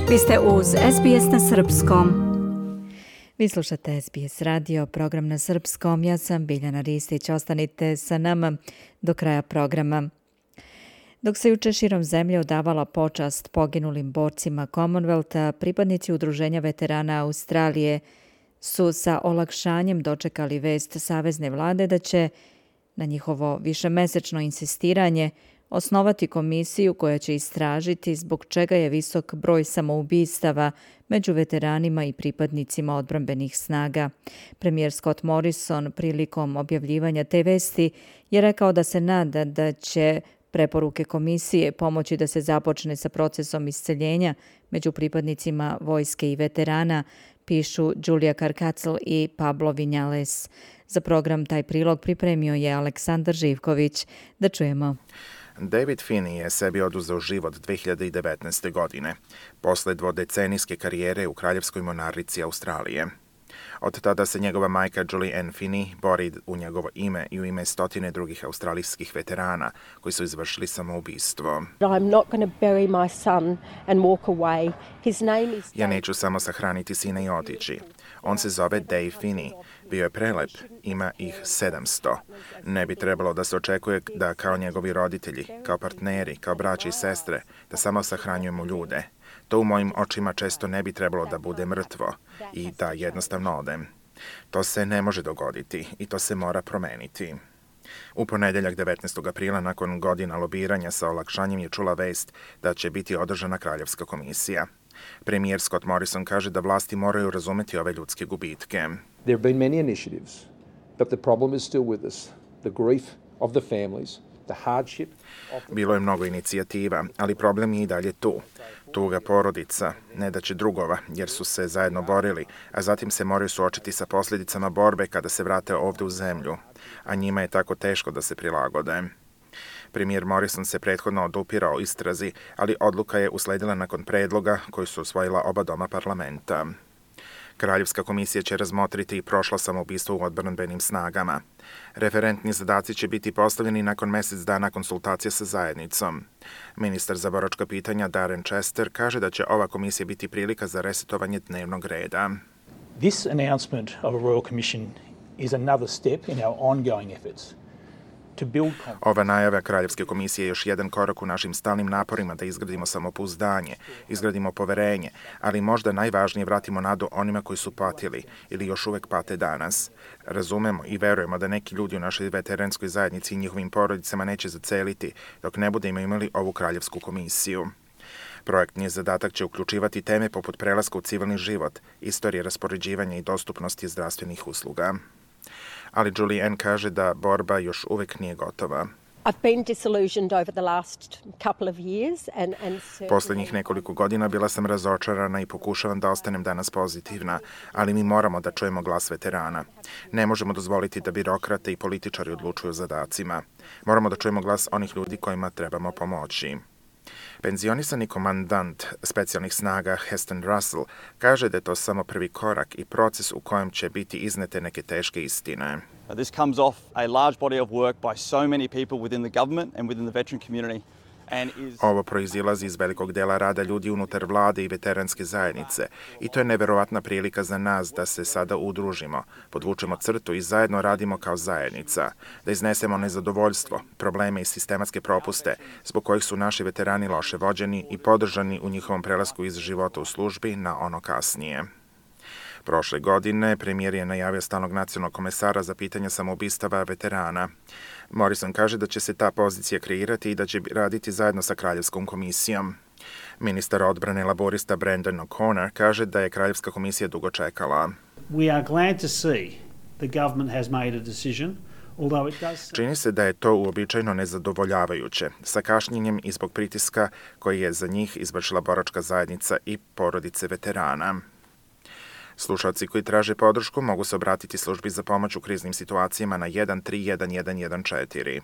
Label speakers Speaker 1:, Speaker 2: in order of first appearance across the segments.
Speaker 1: Vi ste uz SBS na srpskom.
Speaker 2: Vi slušate SBS radio, program na srpskom. Ja sam Biljana Ristić. Ostanite sa nama do kraja programa. Dok se juče širom zemlje odavala počast poginulim borcima Commonwealtha, pripadnici Udruženja veterana Australije su sa olakšanjem dočekali vest savezne vlade da će, na njihovo višemesečno insistiranje, osnovati komisiju koja će istražiti zbog čega je visok broj samoubistava među veteranima i pripadnicima odbrambenih snaga. Premijer Scott Morrison prilikom objavljivanja te vesti je rekao da se nada da će preporuke komisije pomoći da se započne sa procesom isceljenja među pripadnicima vojske i veterana, pišu Julia Karkacl i Pablo Vinjales. Za program taj prilog pripremio je Aleksandar Živković. Da čujemo.
Speaker 3: David Finney je sebi oduzeo život 2019. godine, posle dvodecenijske karijere u kraljevskoj monarhici Australije. Od tada se njegova majka Julie Ann Finney bori u njegovo ime i u ime stotine drugih australijskih veterana koji su izvršili samoubistvo. Ja neću samo sahraniti sina i otići. On se zove Dave Finney. Bio je prelep, ima ih 700. Ne bi trebalo da se očekuje da kao njegovi roditelji, kao partneri, kao braća i sestre, da samo sahranjujemo ljude. To u mojim očima često ne bi trebalo da bude mrtvo i da jednostavno odem. To se ne može dogoditi i to se mora promeniti. U ponedeljak 19. aprila, nakon godina lobiranja sa olakšanjem, je čula vest da će biti održana kraljevska komisija. Premijer Scott Morrison kaže da vlasti moraju razumeti ove ljudske gubitke.
Speaker 4: There have been many initiatives, but the problem is still with us. The grief of the families, the hardship of the...
Speaker 3: Bilo je mnogo inicijativa, ali problem je i dalje tu. Tuga porodica, nedaće drugova, jer su se zajedno borili, a zatim se moraju suočiti sa posljedicama borbe kada se vrate ovdje u zemlju, a njima je tako teško da se prilagode. Premijer Morrison se prethodno odupirao istrazi, ali odluka je usledila nakon predloga koji su usvojila oba doma parlamenta. Kraljevska komisija će razmotriti i prošlo samoubistvo u odbrambenim snagama. Referentni zadaci će biti postavljeni nakon mjesec dana konsultacije sa zajednicom. Ministar za boračka pitanja Darren Chester kaže da će ova komisija biti prilika za resetovanje dnevnog reda.
Speaker 5: This announcement of a Royal Commission is another step in our ongoing efforts.
Speaker 3: Ova najava Kraljevske komisije je još jedan korak u našim stalnim naporima da izgradimo samopouzdanje, izgradimo poverenje, ali možda najvažnije vratimo nadu onima koji su patili ili još uvek pate danas. Razumemo i verujemo da neki ljudi u našoj veteranskoj zajednici i njihovim porodicama neće zaceliti dok ne budemo imali ovu Kraljevsku komisiju. Projektni zadatak će uključivati teme poput prelaska u civilni život, istorije raspoređivanja i dostupnosti zdravstvenih usluga. Ali Julie Ann kaže da borba još uvek nije gotova. Poslednjih nekoliko godina bila sam razočarana i pokušavam da ostanem danas pozitivna, ali mi moramo da čujemo glas veterana. Ne možemo dozvoliti da birokrate i političari odlučuju o zadacima. Moramo da čujemo glas onih ljudi kojima trebamo pomoći. Penzionisani komandant specijalnih snaga Heston Russell kaže da je to samo prvi korak i proces u kojem će biti iznete neke teške istine.
Speaker 6: This comes off a large body of work by so many people within the government and within the veteran community.
Speaker 3: Ovo proizilazi iz velikog dela rada ljudi unutar vlade i veteranske zajednice i to je neverovatna prilika za nas da se sada udružimo, podvučemo crtu i zajedno radimo kao zajednica, da iznesemo nezadovoljstvo, probleme i sistematske propuste zbog kojih su naši veterani loše vođeni i podržani u njihovom prelasku iz života u službi na ono kasnije. Prošle godine premijer je najavio stalnog nacionalnog komesara za pitanja samoubistava veterana. Morrison kaže da će se ta pozicija kreirati i da će raditi zajedno sa Kraljevskom komisijom. Ministar odbrane laborista Brendan O'Connor kaže da je Kraljevska komisija dugo čekala.
Speaker 7: We are glad to see the government has made a decision.
Speaker 3: Čini se da je to uobičajeno nezadovoljavajuće, sa kašnjenjem i zbog pritiska koji je za njih izvršila boračka zajednica i porodice veterana. Slušalci koji traže podršku mogu se obratiti službi za pomoć u kriznim situacijama na 131114.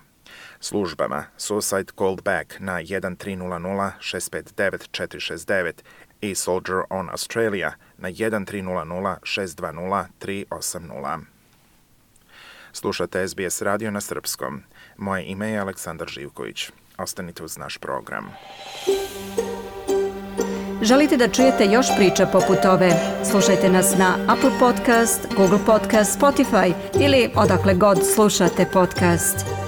Speaker 3: Službama Suicide Called Back na 1300 659 469 i Soldier on Australia na 1300 620 380. Slušate SBS radio na srpskom. Moje ime je Aleksandar Živković. Ostanite uz naš program.
Speaker 1: Želite da čujete još priča poput ove? Slušajte nas na Apple Podcast, Google Podcast, Spotify ili odakle god slušate podcast.